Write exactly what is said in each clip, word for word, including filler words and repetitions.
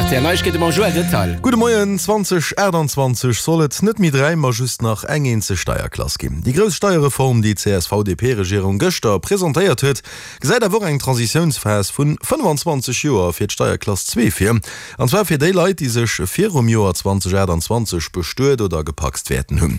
R T L Neiegkeete mam Joël Detail. Gudde Moien, zweedausendaachtundzwanzeg soll et net méi dräi, ma just nach eng eenzeg Steierklass ginn. Déi grouss Steierreform, déi d'C S V D P-Regierung gëschter presentéiert huet, gesäit awer och eng Transitiounsphas vun fënnefanzwanzeg Joer fir d'Steierklass zwee vir. An zwar fir déi Leit, déi sech virum Joer zweedausendaachtundzwanzeg bestuet oder gepacst wäerten hunn.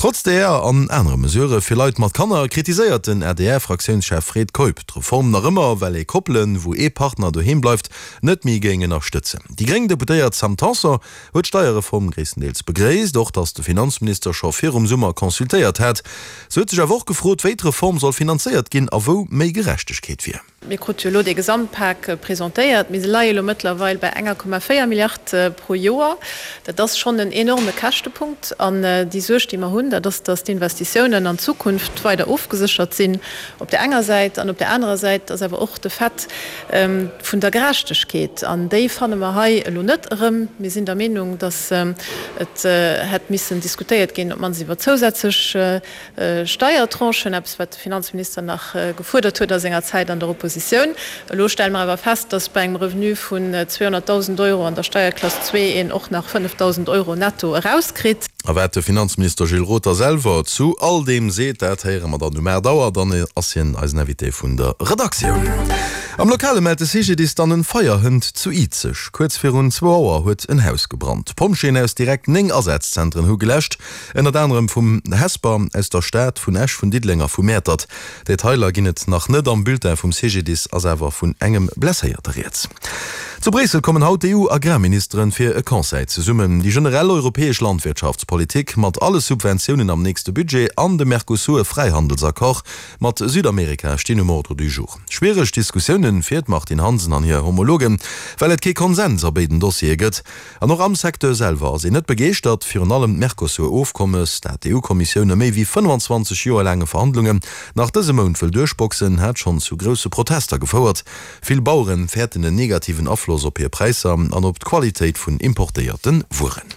Trotz där an anere Mesurë fir Leit mat Kanner kritiséiert den A D R-Fraktiounschef Fred Keup d'Reform nach ëmmer, well ee Koppelen, wou ee Partner doheem bleift, net méi géing ënnerstëtzen. Déi gréng Deputéiert Sam Tanson huet d'Steierreform gréisstendeels begréisst, och datt de Finanzminister scho virum Summer consultéiert hat. Se huet sech awer och gefrot, wéi d'Reform soll finanzéiert ginn a wou méi Gerechtegkeet wier. Mir krute jo elo dee Gesamtpak presentéiert. Mir leie elo mëttlerweil bei enger Komma véier Milliard pro Joer. Dat ass schonn en enorme Käschtepunkt. An déi Suerg, déi mer hunn, dat ass, datt d'Investitiounen an d'Zukunft weider ofgeséchert sinn op där enger Säit. An op där anerer Säit ass awer och de Fait vun der Gerechtegkeet. An déi fanne mer hei elo net erëm. Mir sinn der Meenung, datt et hätt missen diskutéiert ginn, op d'mannst iwwer zousätzlech Steiertranchen, eppes wat de Finanzminister nach gefuerdert huet a senger Zäit an der Oppositioun. Elo stelle mer awer fest, datt bei engem Revenu vun zweehonnertdausend Euro an der Steierklass zwee een och nach fënnefdausend Euro netto erauskritt. A wat de Finanzminister Gilles Roth da selwer zu all deem seet, dat héiere mer dann um aacht Auer. Dann ass hien eisen Invité vun der Redaktioun. Am Lokale mellt de C G D I S dann en Feier hënt zu Izeg. Kuerz virun zwou Auer huet en Haus gebrannt. D'Pompjeeën aus direkt néng Asazentren hu geläscht, ënnert anerem vum Hesper, aus der Stad, vun Esch, vun Diddeleng a vu Mäertert. Detailer ginn et nach net. Am Bulletin vum C G D I S ass awer vun engem Blesséierte rieds. Zu Bréissel kommen haut d'E U-Agrarministeren fir e Conseil zesummen. Déi generell europäesch Landwirtschaftspolitik mat alle Subventiounen am nächste Budget an de Mercosur-Fräihandelsaccord mat Südamerika stinn um Ordre du jour. Schwiereg Diskussiounen fir d'Martine Hansen an hir Homologen, well et kee Konsens a béiden Dossiere gëtt. An och am Secteur selwer ass een net begeeschtert. Virun allem d'Mercosur-Ofkommes, dat d'E U-Kommissioun no méi wéi fënnefanzwanzeg Joer laange Verhandlungen nach dëse Mount wëll duerchboxen, hat schonn zu grousse Protester gefouert. Vill Baueren fäerten en negativen Afloss op hir Präisser an op d'Qualitéit vun importéierte Wueren.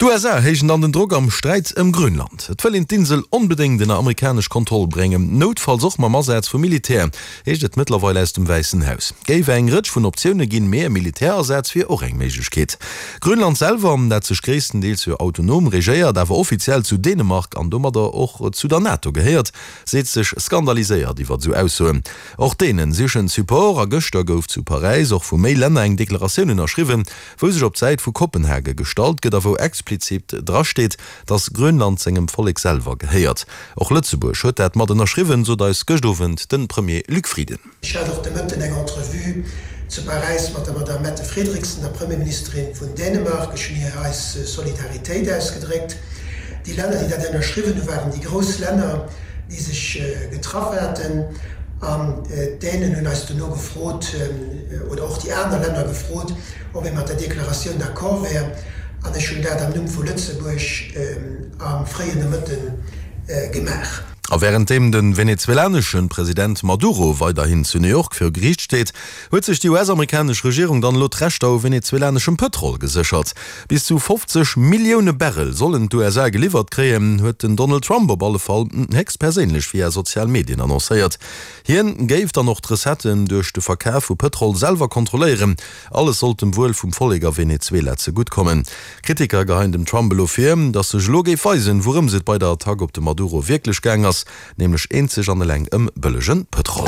D'U S A héijen dann den Drock am Sträit ëm Grönland. Et wëll een d'Insel onbedéngt ënner amerikanesch Kontroll bréngen, noutfalls och mam Asaz vum Militär, heescht et mëttlerweil aus dem Wäissen Haus. Géif eng Rëtsch vun Optioune ginn, mee e Militärasaz wier och eng Méiglechkeet. Grönland selwer, dat sech gréisstendeels jo autonom regéiert, awer offiziell zu Dänemark an domadder och zu der NATO gehéiert, seet sech skandaliséiert iwwer esou Aussoen. Och Dänen sichen Support a gëschter gouf zu Paräis och vu méi Länner eng Deklaratioun ënnerschriwwen, wou sech op d'Säit vu Kopenhage gestallt gëtt a wou explizit drasteet, datt Grönland sengem Vollek selwer gehéiert. Och Lëtzebuerg huet dat mat ënnerschriwwen, sot eis gëscht Owend de Premier Luc Frieden. Ech hat och de Mëtten eng Entrevue zu Paräis mat der Madame Mette Frederiksen, der Premierministerin vun Dänemark. Ech hunn hir eis Solidaritéit ausgedréckt. Déi Länner, déi dat ënnerschriwwen hu waren déi grouss Länner, déi sech getraff haten. An d'Dänen hunn eis duerno gefrot, oder och déi aner Länner gefrot, ob ee mat der Deklaratioun d'accord wär. An ech hunn dat am Numm vu Lëtzebuerg am fréien Nomëtte gemaach. A wärenddeem de venezuelanesche President Maduro weiderhin zu New York viru Geriicht steet, huet sech déi U S-amerikanesch Regierung dann elo d'Rechter u venezuelaneschem Pëtrol geséchert. Bis zu fofzeg Millioune Barrel sollen d'U S A geliwwert kréien, huet den Donald Trump op alle Fall héchstperséinlech via sozial Medien annoncéiert. Hien géif dann och d'Recetten duerch de Verkaf vu Pëtrol selwer kontrolléieren. Alles sollt dem Wuel vum Vollek a Venezuela zegutt kommen. Kritiker geheien dem Trump elo vir, datt sech elo géif weisen, wourëms et bei der Attack op de Maduro wierklech gaang ass, nämlech eenzeg an eleng ëm bëllege Pëtrol.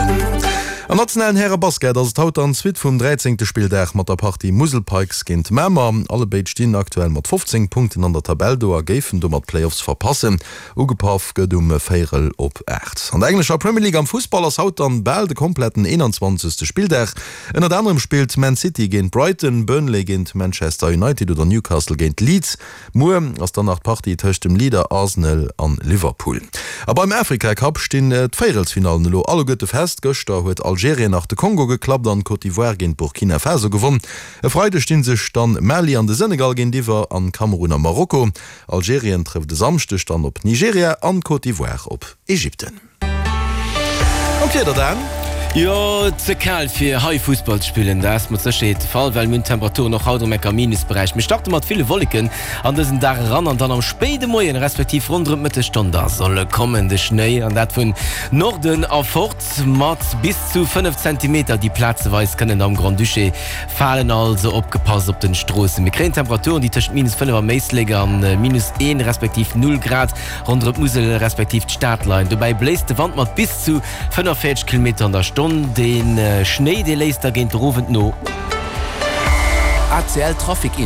Am nationalen Häre-Basket ass et haut dann d'Suite vum dräizéngte Spilldag mat der Partie Musel Pikes géint Mamer. Allebéid stinn aktuell mat fofzéng Punkten an der Tabell do a géifen domat d'Playoffs verpassen. Ugepaff gëtt um véierel op aacht. An der englescher Premier League am Fussball ass haut dann bal de kompletten eenanzwanzegste Spilldag. Ënnert anerem spillt Man City géint Brighton, Burnley géint Manchester United oder Newcastle géint Leeds. Muer ass dann nach d'Partie tëscht dem Leader Arsenal an Liverpool. A beim Afrika Cup stinn d'Véierelsfinallen elo alleguerte fest. Gëschter huet Algerien nach de Kongo geklappt an Côte d'Ivoire géint Burkina Faso gewonn. E Freideg stinn sech dann Mali an de Senegal géintiwwer an Kamerun a Marokko. Algerien trëfft e Samschdeg dann op Nigeria an Côte d'Ivoire op Ägypten. An d'Wieder dann? Jo, ze kal fir hei Fussball ze spillen, dat ass mat Sécherheet de Fall, well mir hunn Temperaturen och haut erëm enk am Minusberäich. Mir starte mat ville Wolleken an dësen Dag eran an dann am spéide Moien, respektiv ronderëm d'Mëttesstonn, da soll e kommen, de Schnéi, an dat vun Norden erfort mat bis zu fënnef Zentimeter, déi plazeweis kënnen am Grand-Duché falen. Also opgepasst op den Stroossen. Mir kréien Temperaturen, déi tëscht minus fënnef am Éislek an minus een respektiv null Grad ronderëm d'Musel respektiv d'Stad leien. Dobäi bléist de Wand mat bis zu fënnefenvéierzeg Kilometer an der Stonn. De Schnéi, dee léisst da géint de Owend no. A C L Trafic Info.